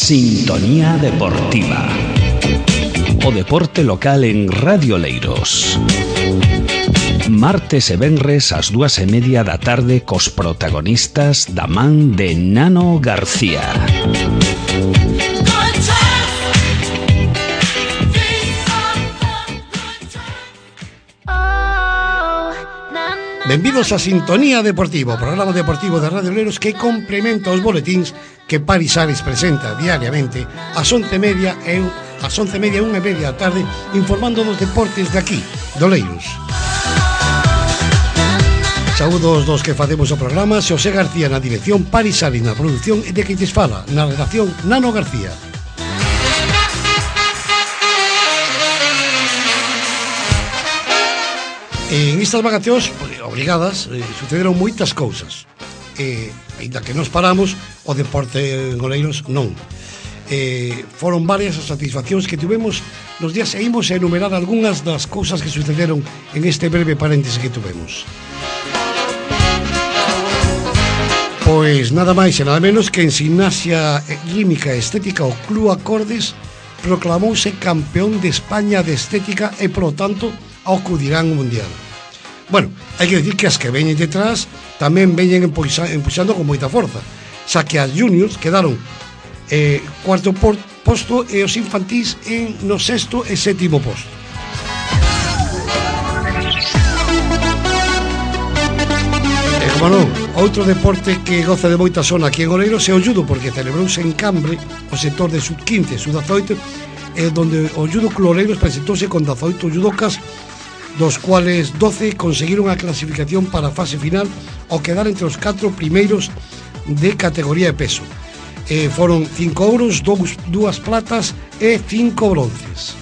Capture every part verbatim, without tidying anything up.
Sintonía Deportiva. O deporte local en Radio Oleiros. Martes e venres ás dúas e media da tarde cos protagonistas da man de Nano García. Benvidos a Sintonía Deportiva, o programa deportivo de Radio Oleiros que complementa os boletíns que Paris Ares presenta diariamente ás once e media e ás once e media e unha e media da tarde, informando dos deportes de aquí, de Oleiros. Saúdos dos que facemos o programa, Xosé García na dirección, Paris Ares na produción e de que lles fala na redacción Nano García. En estas vacacións obrigadas eh, sucederon moitas cousas e, ainda que nos paramos, o deporte en Oleiros non eh, foron varias as satisfaccións que tivemos nos días e imos a enumerar algunhas das cousas que sucederon en este breve paréntese que tivemos. Pois nada máis e nada menos que en Gimnasia Rítmica e Estética o Club Acordes proclamouse campeón de España de Estética e, polo tanto, acudirán ao Mundial. Bueno, hai que decir que as que veñen detrás tamén veñen empuxando con moita forza, xa que as juniors quedaron eh, cuarto por, posto e os infantís en no sexto e sétimo posto. E como non, outro deporte que goza de moita zona aquí en Oleiros é o judo, porque celebrouse en Cambre o sector de sub quince, sub dezaoito, eh, donde o Judo Club Oleiros presentouse con dezaoito judocas, dos cuales doce conseguiron a clasificación para a fase final ao quedar entre os catro primeiros de categoría de peso. Eh, foron cinco ouros, dous, dúas platas e cinco bronces.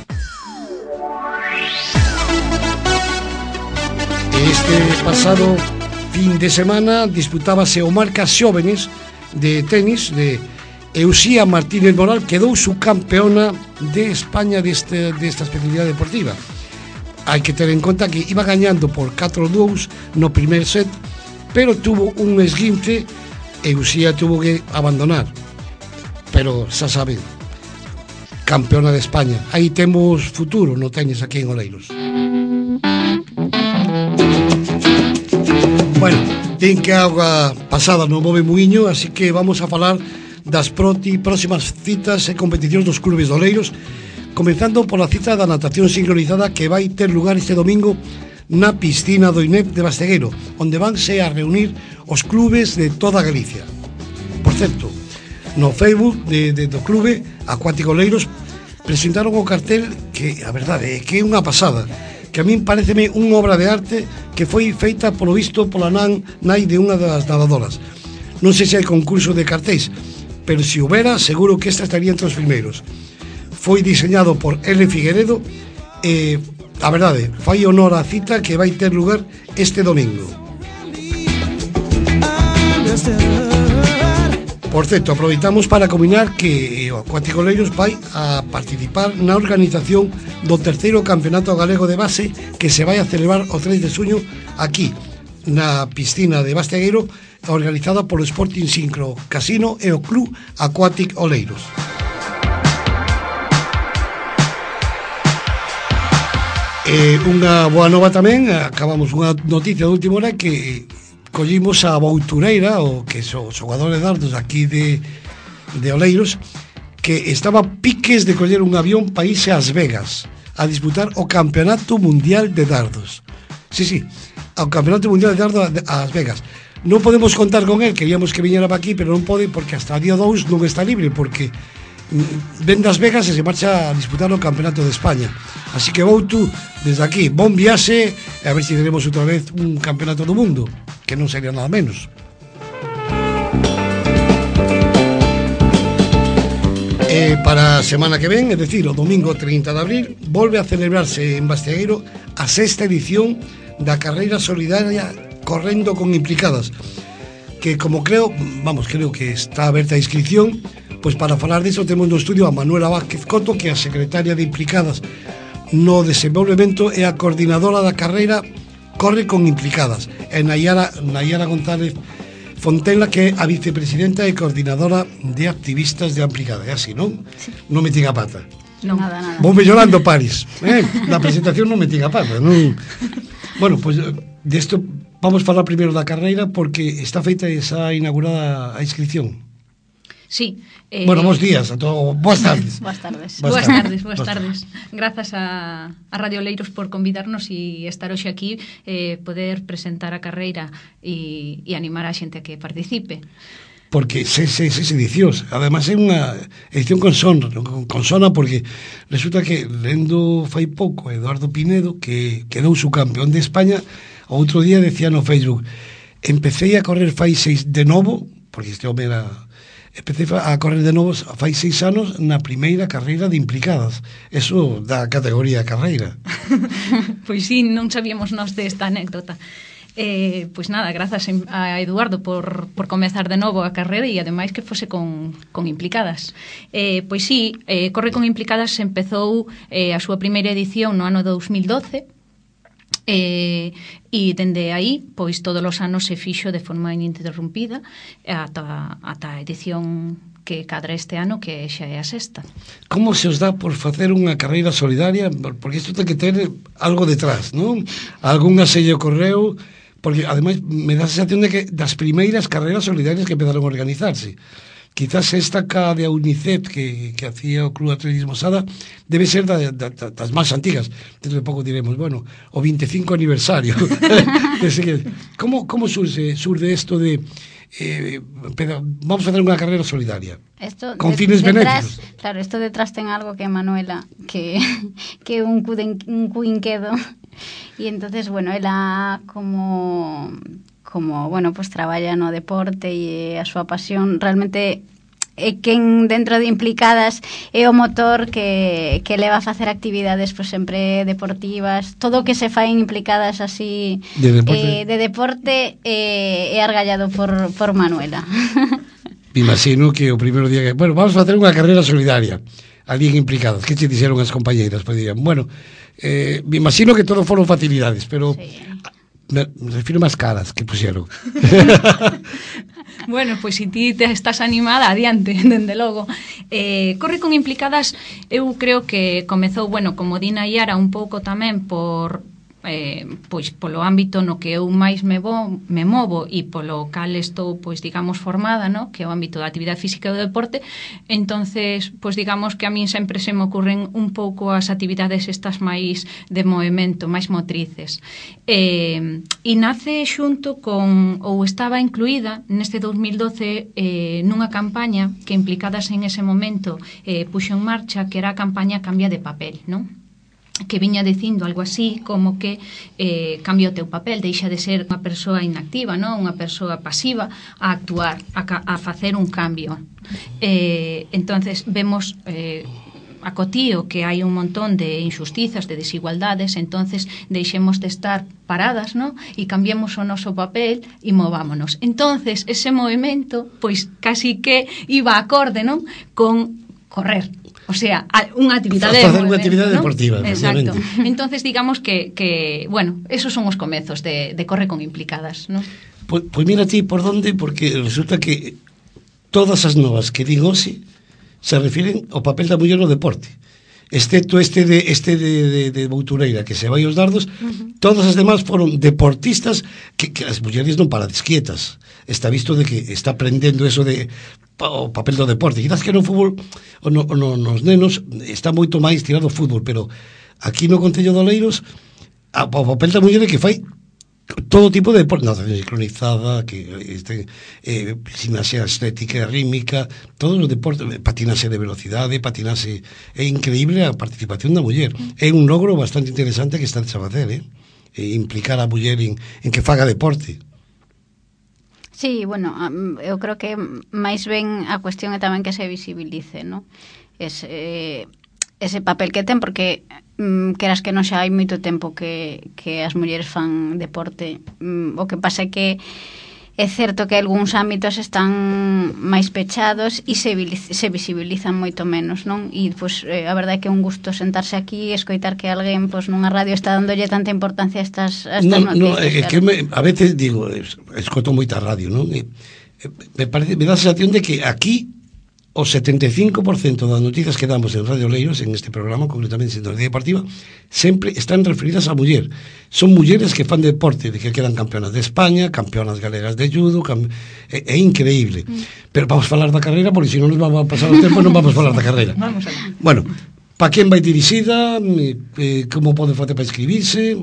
Este pasado fin de semana disputábase o Marcas Xóvenes de tenis de Eusía Martínez Moral, quedou subcampeona de España deste, desta especialidade deportiva. Hai que ter en conta que iba gañando por catro a dous no primer set, pero tuvo un esguince e Uxía tuvo que abandonar. Pero xa saben, campeona de España. Aí temos futuro no tenis aquí en Oleiros. Bueno, ten que a auga pasada non move muiño, así que vamos a falar das proti, próximas citas e competicións dos clubes de Oleiros, comenzando pola cita da natación sincronizada que vai ter lugar este domingo na piscina do I N E P de Bastegueiro, onde vanse a reunir os clubes de toda Galicia. Por certo, no Facebook de, de, do clube Acuático Oleiros presentaron o cartel que, a verdade, é que é unha pasada, que a min pareceme unha obra de arte que foi feita, polo visto, pola nan, nai de unha das nadadoras. Non sei se hai concurso de cartéis, pero se houbera, seguro que esta estaría entre os primeiros. Foi diseñado por L. Figueredo e, a verdade, fai honor á cita que vai ter lugar este domingo. Por certo, aproveitamos para combinar que o Acuático Oleiros vai a participar na organización do terceiro campeonato galego de base que se vai a celebrar o tres de xuño aquí, na piscina de Bastegueiro, organizada polo Sporting Sincro Casino e o Club Acuático Oleiros. E unha boa nova tamén, acabamos unha noticia de última hora que collimos a Boutureira, o que son os xogadores de dardos aquí de, de Oleiros, que estaba piques de coller un avión para irse ás Vegas a disputar o Campeonato Mundial de Dardos. Sí, sí, ao Campeonato Mundial de Dardos ás Vegas. Non podemos contar con él, queríamos que viñera para aquí, pero non pode porque hasta o día dous non está libre, porque ven das Vegas e se marcha a disputar o Campeonato de España. Así que Boutu, desde aquí, bon viaxe, e a ver se si teremos outra vez un Campeonato do Mundo, que non sería nada menos. E para a semana que ven, é dicir, o domingo trinta de abril, volve a celebrarse en Bastegueiro a sexta edición da carreira solidaria Correndo con Implicadas, que como creo, vamos, creo que está aberta a inscripción. Pois para falar disso temos no estudio a Manuela Vázquez Coto, que é a secretaria de Implicadas no desenvolvemento e a coordinadora da carreira Corre con Implicadas, e Nayara, Nayara González Fontenla, que é a vicepresidenta e coordinadora de activistas de Amplicada. É así, non? Sí. Non metín a pata. Non, nada, nada. Vou mellorando, Paris. Eh? Na presentación non metín a pata. Non... Bueno, pois pues, desto vamos falar primeiro da carreira porque está feita e xa inaugurada a inscripción. Sí. Eh... Bueno, bons días a todos. Boas tardes. Boas tardes. Boas tardes, boas tardes. Grazas a, a Radio Oleiros por convidarnos e estar hoxe aquí, eh, poder presentar a carreira e, e animar a xente a que participe. Porque seis, seis, seis edicións. Ademais é unha edición con son, con sona, porque resulta que lendo fai pouco Eduardo Pinedo, que quedou su campeón de España, outro día decía no Facebook: empecé a correr fai seis de novo, porque este home era... Empecé a correr de novo fai seis anos na primeira carreira de Implicadas. Eso da categoría carreira. Pois sí, non sabíamos nós desta anécdota. Eh, pois nada, grazas a Eduardo por, por comezar de novo a carreira e ademais que fose con, con Implicadas. Eh, pois sí, eh, Corre con Implicadas empezou eh, a súa primeira edición no ano dous mil doce. E, e dende aí, pois todos os anos se fixo de forma ininterrumpida ata, ata a edición que cadra este ano, que xa é a sexta. Como se os dá por facer unha carreira solidaria? Porque isto ten que ter algo detrás, non? Algún asello correu, porque ademais me dá a sensación de que das primeiras carreiras solidarias que empezaron a organizarse. Quizás esta ca de a UNICEF que, que hacía o Club Atletismo Sada debe ser da, da, da, das máis antigas. Dentro de pouco diremos, bueno, o veinticinco aniversario. como, como surge, surge esto de eh, pero vamos a facer unha carreira solidaria esto con de, fines detrás, benéficos? Claro, esto detrás ten algo que Manuela, que que un cuden, un cuinquedo, e entonces, bueno, ela como como, bueno, pues traballa no deporte e a súa pasión realmente é quen dentro de Implicadas é o motor que, que leva a facer actividades pues, sempre deportivas, todo o que se fai en Implicadas así de deporte, eh, de deporte eh, é argallado por, por Manuela. Me imagino que o primeiro día que, bueno, vamos a facer unha carreira solidaria ali en Implicadas, que che dixeron as compañeiras? Pois dirían, bueno, eh, me imagino que todo foron facilidades, pero sí. Me refiro máis caras que puxeron. Bueno, pois se ti te estás animada, adiante, dende logo. Eh, Corre con Implicadas, eu creo que comezou, bueno, como Dina Iara, un pouco tamén por... Eh, pois polo ámbito no que eu máis me, vo, me movo e polo cal estou, pois digamos, formada, no? Que é o ámbito da actividade física e do deporte. Entonces, pois digamos que a min sempre se me ocurren un pouco as actividades estas máis de movimento, máis motrices. Eh, e nace xunto con, ou estaba incluída neste dous mil doce eh, nunha campaña que Implicadas en ese momento eh, puxo en marcha, que era a campaña Cambia de Papel, non? Que viña dicindo algo así como que eh, cambia o teu papel, deixa de ser unha persoa inactiva, non? Unha persoa pasiva a actuar, a, a facer un cambio. Eh, entonces vemos eh, a cotío que hai un montón de injustizas, de desigualdades, entonces deixemos de estar paradas, non? E cambiemos o noso papel e movámonos. Entonces ese movimento, pois casi que iba acorde, non? Con correr. O sea, unha actividade de facer unha actividade, ¿no?, deportiva. Exacto. Entonces, digamos que, que, bueno, esos son os comezos de, de Corre con Implicadas, ¿no? Pois, pois mira ti por onde, porque resulta que todas as novas que din hoxe se refiren ao papel da muller no deporte. Excepto este de este de, de, de Boutureira, que se vai aos dardos, uh-huh. Todas as demás foron deportistas que, que as mulleres non parades quietas. Está visto de que está aprendendo eso de o papel do deporte. Quizás que no fútbol o no, o no, nos nenos está moito máis tirado o fútbol, pero aquí no Concello de Oleiros o papel da muller é que fai todo tipo de deporte, natación sincronizada, que este, eh, gimnasia estética, rítmica, todos os deportes, patinase de velocidade, patinase, é increíble a participación da muller. É un logro bastante interesante que está a facer, eh? E implicar a muller en, en que faga deporte. Sí, bueno, eu creo que máis ben a cuestión é tamén que se visibilice, ¿no? Ese, eh, ese papel que ten, porque mm, queras que non xa hai moito tempo que, que as mulleres fan deporte. Mm, o que pasa é que é certo que algúns ámbitos están máis pechados e se, se visibilizan moito menos, non? E, pois, eh, a verdade é que é un gusto sentarse aquí e escoitar que alguén, pois, nunha radio está dándolle tanta importancia a estas, a estas no, noticias. No, é que me, a veces digo, escoto moita radio, non? E, me parece, me dá a sensación de que aquí o setenta e cinco por cento das noticias que damos en Radio Oleiros, en este programa, concretamente en Sintonía Deportiva, sempre están referidas a muller. Son mulleres que fan deporte, de que quedan campeonas de España, campeonas galegas de judo, cam... é, é increíble. Mm. Pero vamos falar da carreira, porque se non nos vamos a pasar o tempo, non vamos falar da carreira. Vamos a Bueno, para quen vai dirixida, eh, como pode facer para inscribirse?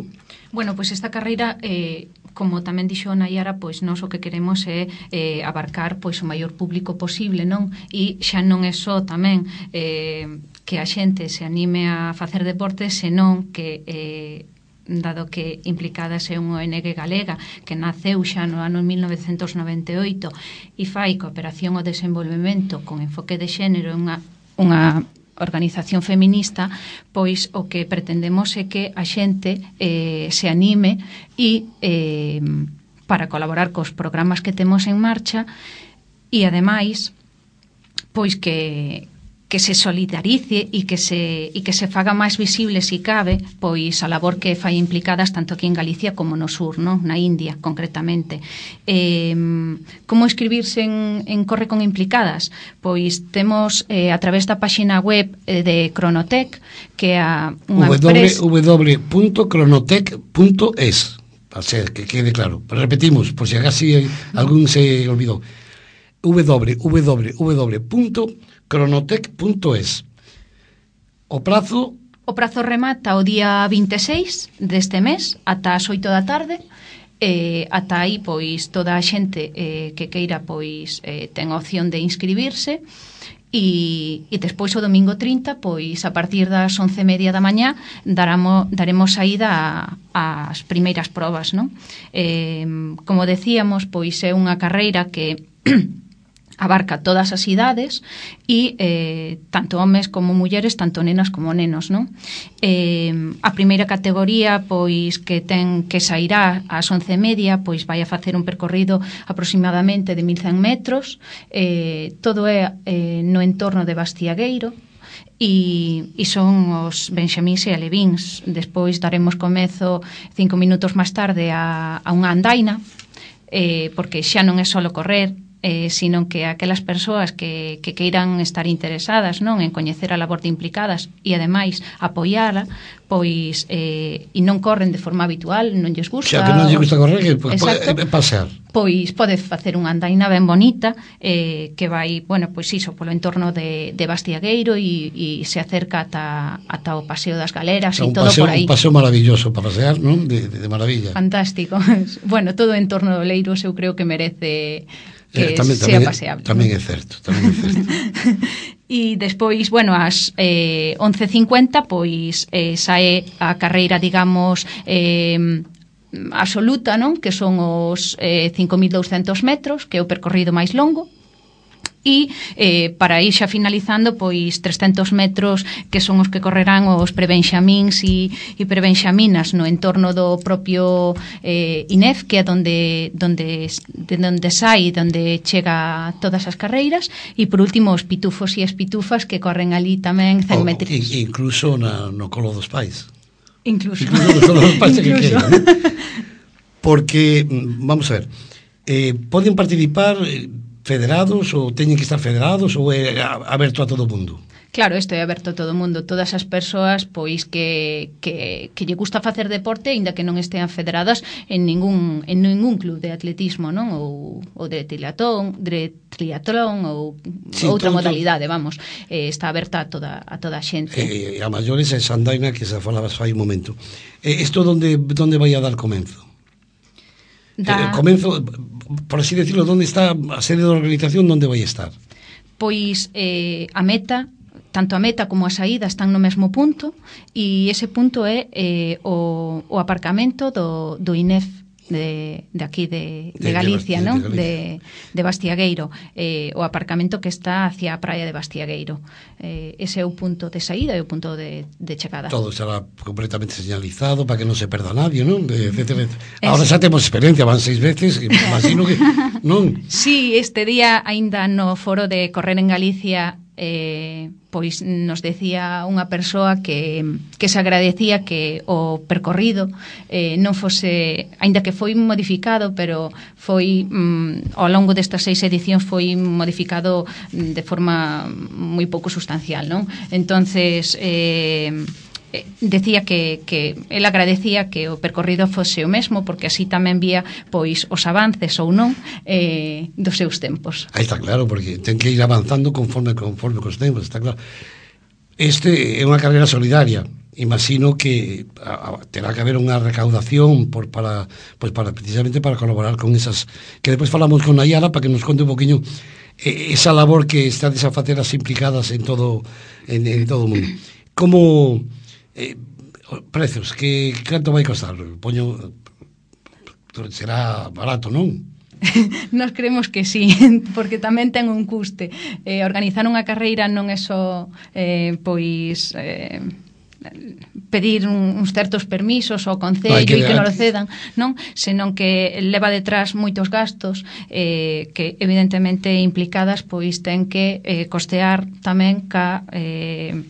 Bueno, pois esta carreira, eh, como tamén dixo Nayara, pois nós o que queremos é eh, abarcar pois o maior público posible, non? E xa non é só tamén eh, que a xente se anime a facer deporte, senón que eh, dado que Implicadas é unha O N G galega que naceu xa no ano mil novecentos noventa e oito e fai cooperación ao desenvolvemento con enfoque de xénero, unha, unha organización feminista, pois o que pretendemos é que a xente eh, se anime e eh, para colaborar cos programas que temos en marcha e ademais pois que que se solidarice e que se e que se faga máis visible se cabe pois a labor que fai Implicadas tanto aquí en Galicia como no sur, non? Na India concretamente. Eh, como escribirse en, en Corre con Implicadas? Pois temos eh, a través da páxina web eh, de Cronotec, que é a unha empresa w w w punto cronotec punto es, para ser que quede claro. Repetimos, por se si agás algún se olvidou. w w w punto cronotec punto es. O prazo o prazo remata o día vinte e seis deste mes ata as oito da tarde. Eh, ata aí pois toda a xente eh, que queira pois eh, ten a opción de inscribirse e, e despois o domingo trinta pois a partir das once e media da mañá daramo, daremos saída ás primeiras probas, non? Eh, como decíamos, pois é unha carreira que abarca todas as idades e eh, tanto homes como mulleres, tanto nenas como nenos, non? Eh, a primeira categoría, pois, que ten que sairá ás once e media, pois vai a facer un percorrido aproximadamente de mil cen metros, eh, todo é eh, no entorno de Bastiagueiro, e, e son os benxamíns e alevíns. Despois daremos comezo cinco minutos máis tarde a, a unha andaina, eh, porque xa non é solo correr, Eh, sino que aquelas persoas que, que queiran estar interesadas, non, en coñecer a labor de Implicadas e ademais apoiala, pois eh, e non corren de forma habitual, non lles gusta, xa que non lles gusta correr, que pues, exacto, pode pasear, pois pode facer unha andaina ben bonita eh, que vai, bueno, pois iso, polo entorno de, de Bastiagueiro e, e se acerca ata, ata o Paseo das Galeras, o sea, e todo paseo, por aí. Un paseo maravilloso para pasear, non? De, de, de maravilla. Fantástico. Bueno, todo o entorno de Oleiros eu creo que merece que eh, tamén, sea tamén, paseable. Tamén é certo, tamén é certo. E despois, bueno, ás eh, once e cincuenta, pois eh, sae a carreira, digamos, eh, absoluta, non? Que son os eh, cinco mil douscentos metros, que é o percorrido máis longo. E eh, para ir xa finalizando, pois trescentos metros que son os que correrán os prebenxamíns e, e prebenxaminas no entorno do propio eh, I N E F, que é donde, donde, de donde sai, donde chega todas as carreiras, e por último os pitufos e as pitufas que corren ali tamén cen metros. Oh, incluso na, no colo dos pais. Incluso. Incluso no colo dos pais que quedan, ¿no? Porque, vamos a ver, eh, poden participar federados ou teñen que estar federados ou é aberto a todo o mundo? Claro, isto é aberto a todo o mundo, todas as persoas pois que, que, que lle gusta facer deporte, aínda que non estean federadas en ningún en ningún club de atletismo, non? Ou, ou de triatlón, de triatlón ou sí, outra todo, modalidade, vamos, eh, está aberta a toda a toda a xente. Eh, a maiores esa andaina que se falaba fai un momento. Eh, isto onde onde vai a dar comenzo? Da... Eh, comenzo, por así decirlo, onde está a sede da organización, onde vai estar? Pois eh, a meta, tanto a meta como a saída están no mesmo punto, e ese punto é eh, o, o aparcamento do, do I N E F de, de aquí de, de Galicia, de, non? De, de Bastiagueiro, eh, o aparcamento que está hacia a praia de Bastiagueiro. Eh, ese é o punto de saída e o punto de, de chegada. Todo será completamente señalizado para que non se perda nadie, non? Etcétera. Ahora xa temos experiencia, van seis veces, imagino que non. Sí, este día aínda no foro de Correr en Galicia eh, pois nos decía unha persoa que, que se agradecía que o percorrido eh, non fose, aínda que foi modificado, pero foi mm, ao longo destas seis edicións foi modificado de forma moi pouco sustancial, non? Entonces eh, decía que, que el agradecía que o percorrido fose o mesmo, porque así tamén vía pois os avances ou non eh, dos seus tempos. Aí está claro, porque ten que ir avanzando conforme conforme cos tempos, está claro. Este é unha carreira solidaria. Imagino que a, a, terá que haber unha recaudación por, para, pues para precisamente para colaborar con esas, que despois falamos con Nayara para que nos conte un poquinho eh, esa labor que está a facer as implicadas en todo en, en todo o mundo. Como Eh, prezos, que canto vai costar? Poño, será barato, non? Nos creemos que sí, porque tamén ten un custe. Eh, organizar unha carreira non é só eh, pois eh, pedir un, uns certos permisos ao concello e que, que non lo cedan, non? Senón que leva detrás moitos gastos eh, que evidentemente implicadas pois ten que eh, costear tamén ca eh,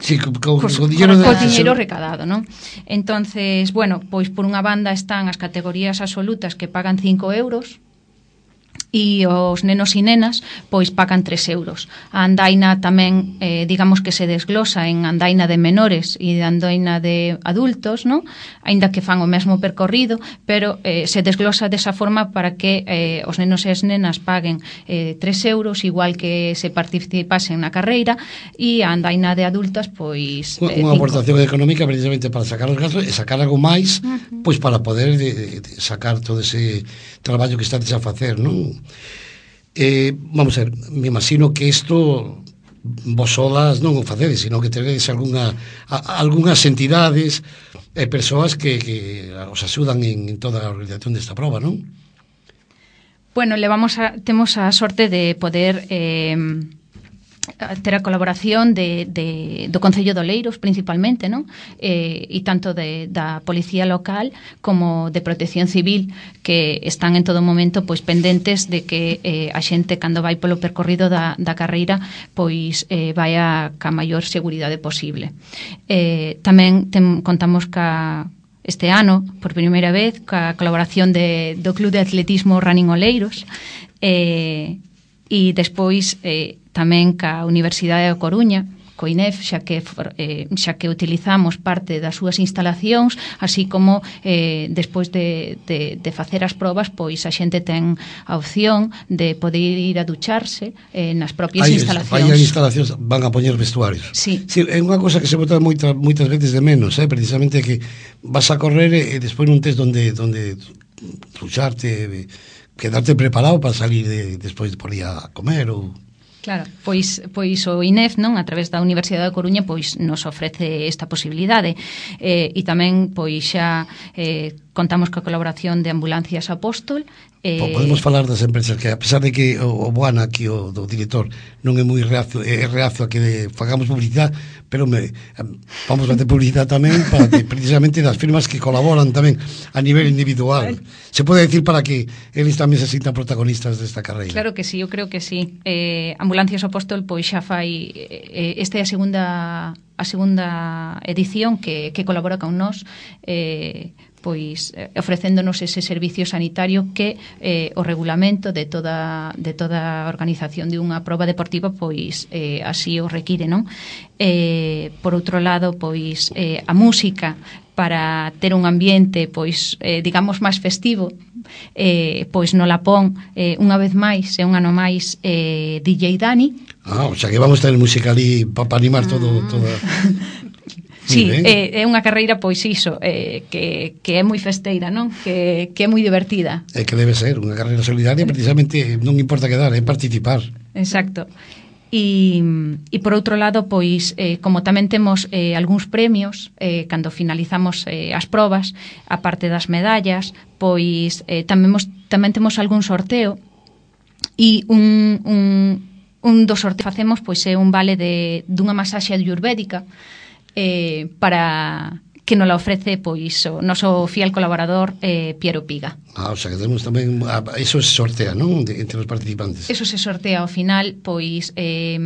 Sí, co, co, cos, co dinero, co dinero recadado, non? Entonces, bueno, pois por unha banda están as categorías absolutas que pagan cinco euros e os nenos e nenas pois pagan tres euros. A andaina tamén, eh, digamos que se desglosa en andaina de menores e de andaina de adultos, non? Aínda que fan o mesmo percorrido, pero eh, se desglosa desa forma para que eh, os nenos e as nenas paguen eh, tres euros, igual que se participasen na carreira, e a andaina de adultas pois eh, unha aportación económica precisamente para sacar os gastos e sacar algo máis, uh -huh. pois para poder de, de sacar todo ese traballo que estades a facer, non? Eh, vamos a ver, me imagino que isto vos solas non o facedes, sino que teredes algunha, a, algunhas entidades e eh, persoas que, que os axudan en, en toda a organización desta prova, non? Bueno, levamos a, temos a sorte de poder eh, ter a colaboración de, de, do Concello de Oleiros principalmente, non? Eh, e tanto de, da Policía Local como de Protección Civil, que están en todo momento pois pendentes de que eh, a xente cando vai polo percorrido da, da carreira pois eh, vai a ca maior seguridade posible. Eh, tamén tem, contamos ca este ano, por primeira vez, ca colaboración de, do Club de Atletismo Running Oleiros, eh, e despois eh, tamén ca Universidade da Coruña, co I N E F, xa que, eh, xa que utilizamos parte das súas instalacións, así como eh, despois de, de, de facer as probas, pois a xente ten a opción de poder ir a ducharse eh, nas propias hai, instalacións. Hai instalacións, van a poñer vestuarios. Sí. Sí, é unha cosa que se bota moita, moitas veces de menos, eh, precisamente que vas a correr e despois non tes donde, donde ducharte, quedarte preparado para salir de, despois por ir a comer ou... Claro, pois, pois o I N E F, non, a través da Universidade da Coruña, pois nos ofrece esta posibilidade. Eh, e tamén, pois xa eh, contamos coa colaboración de Ambulancias Apóstol. Eh... Podemos falar das empresas que, a pesar de que o, o Boana aquí, o do director, non é moi reacio, é reacio a que de, fagamos publicidade, pero me, vamos a facer publicidade tamén para que, precisamente das firmas que colaboran tamén a nivel individual. Se pode decir para que eles tamén se sintan protagonistas desta carreira. Claro que sí, eu creo que sí. Eh, Ambulancias Apóstol pois xa fai eh, esta é a segunda a segunda edición que, que colabora con nós, eh, pois eh, ofrecéndonos ese servicio sanitario que eh, o regulamento de toda de toda a organización de unha proba deportiva pois eh, así o require, non? Eh, por outro lado, pois eh, a música para ter un ambiente pois eh, digamos máis festivo, eh, pois no Lapón eh, unha vez máis e un ano máis eh, D J Dani. Ah, o sea que vamos a ter música ali para pa animar todo, todo. Sí, é, é unha carreira pois iso, eh, que, que é moi festeira, non? Que, que é moi divertida. É que debe ser unha carreira solidaria, precisamente non importa quedar, é participar. Exacto. E, e por outro lado, pois, eh, como tamén temos eh, algúns premios eh, cando finalizamos eh, as probas, a parte das medallas, pois eh, tamén, mos, tamén temos algún sorteo, e un, un, un dos sorteos que facemos pois é un vale de, dunha masaxe ayurvédica eh, para que nos la ofrece pois o noso fiel colaborador eh, Piero Piga. Ah, o sea, que temos tamén, eso se sortea, non? De, entre os participantes. Eso se sortea ao final, pois eh,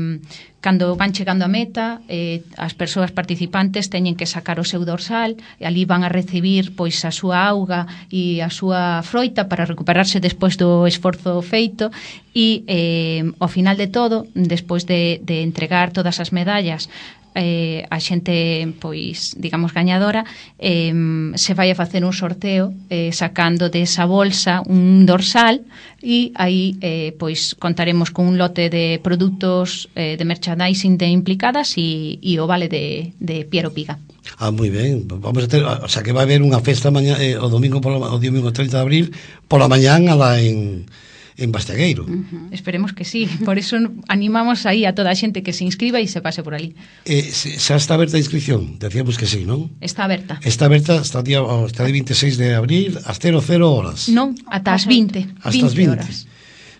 cando van chegando a meta, eh, as persoas participantes teñen que sacar o seu dorsal, e ali van a recibir pois a súa auga e a súa froita para recuperarse despois do esforzo feito, e eh, ao final de todo, despois de, de entregar todas as medallas eh, a xente, pois, digamos, gañadora, eh, se vai a facer un sorteo eh, sacando desa bolsa un dorsal, e aí, eh, pois, contaremos con un lote de produtos eh, de merchandising de Implicadas e, e o vale de, de Piero Piga. Ah, moi ben. Vamos a ter, o sea, que vai haber unha festa mañá, eh, o domingo por o domingo treinta de abril pola mañán alá en en Bastegueiro. Uh-huh. Esperemos que sí. Por eso animamos aí a toda a xente que se inscriba e se pase por ali. Eh, xa está aberta a inscripción? Decíamos que sí, non? Está aberta. Está aberta hasta o día hasta o veintiséis de abril ás cero cero horas. Non, ata as vinte. Hasta as vinte.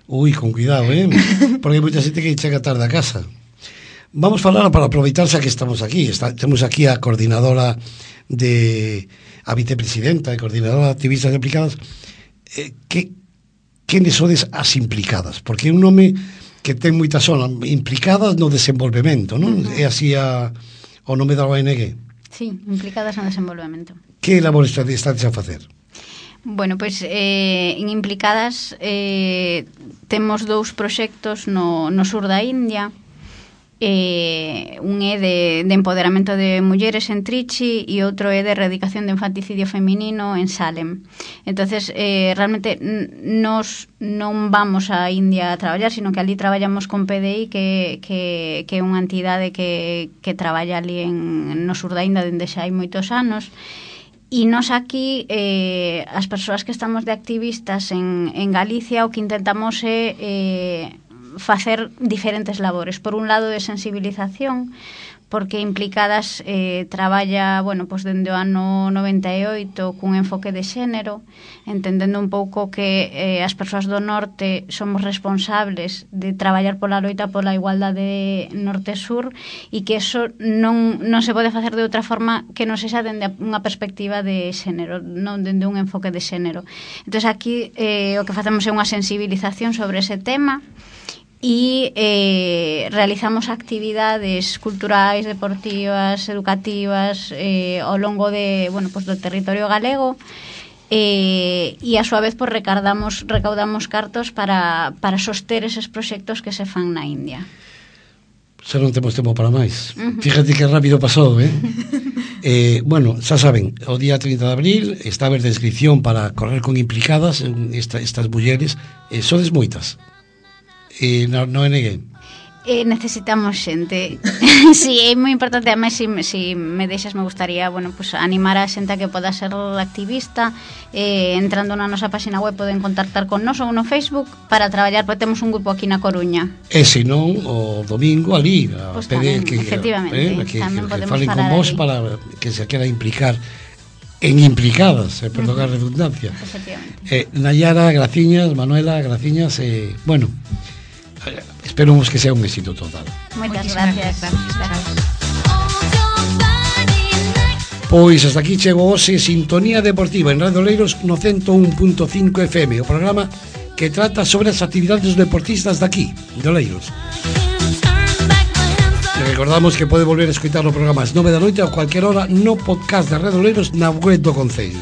Ui, con cuidado, eh? Porque hai moita xente que chega tarde a casa. Vamos falar para aproveitarse que estamos aquí. Está, temos aquí a coordinadora de a vicepresidenta e coordinadora de activistas implicadas. Eh, que quenes sodes as implicadas? Porque é un nome que ten moitas zonas implicadas no desenvolvemento, non? Uh-huh. É así a, o nome da O N G. Sí, implicadas no desenvolvemento. Que labor estades a facer? Bueno, pois eh, en Implicadas eh, temos dous proxectos no, no sur da India. Eh, un é de, de empoderamento de mulleres en Trichy e outro é de erradicación de infanticidio feminino en Salem. Entonces, eh, realmente nos non vamos a India a traballar, sino que ali traballamos con P D I, que, que, que é unha entidade que, que traballa ali en, no sur da India dende xa hai moitos anos. E nos aquí, eh, as persoas que estamos de activistas en, en Galicia, o que intentamos é eh, facer diferentes labores. Por un lado, de sensibilización, porque Implicadas eh, traballa, bueno, pues dende o ano noventa e oito cun enfoque de xénero, entendendo un pouco que eh, as persoas do norte somos responsables de traballar pola loita pola igualdade norte-sur, e que eso non, non se pode facer de outra forma que non sexa dende unha perspectiva de xénero, non dende un enfoque de xénero. Entón, aquí eh, o que facemos é unha sensibilización sobre ese tema, e eh, realizamos actividades culturais, deportivas, educativas eh, ao longo de, bueno, pues do territorio galego, eh, e a súa vez pues, recaudamos, recaudamos cartos para, para soster eses proxectos que se fan na India. Xa non temos tempo para máis. Uh-huh. Fíjate que rápido pasou, eh? eh bueno, xa saben, o día treinta de abril está a haber de inscripción para correr con Implicadas esta, estas mulleres. Eh, sodes moitas? E no, no N G? Eh, necesitamos xente. Sí, é moi importante. Además, si, si me deixas, me gustaría, bueno, pues, animar a xente a que poda ser activista. Eh, entrando na nosa página web poden contactar con nos ou no Facebook para traballar, porque temos un grupo aquí na Coruña. E se non, o domingo ali a pues pedir tamén, que, efectivamente, eh, que, tamén que, que podemos falen con falar vos ali. para que se quera implicar en Implicadas, eh, perdón a redundancia. Efectivamente. Eh, Nayara, graciñas, Manuela, graciñas, eh, bueno, esperamos que sea un éxito total. Moitas gracias. gracias. Pois hasta aquí chegou hoxe Sintonía Deportiva en Radio Oleiros no ciento un punto cinco F M, o programa que trata sobre as actividades dos deportistas daqui, de Oleiros. E recordamos que pode volver a escoitar o programa ás nove da noite a cualquier hora no podcast de Radio Oleiros na web do Concello.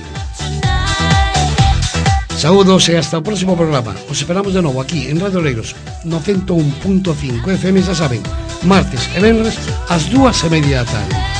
Saúdos e hasta o próximo programa. Os esperamos de novo aquí en Radio Oleiros no ciento un punto cinco F M, xa saben, martes e venres ás dúas e media da tarde.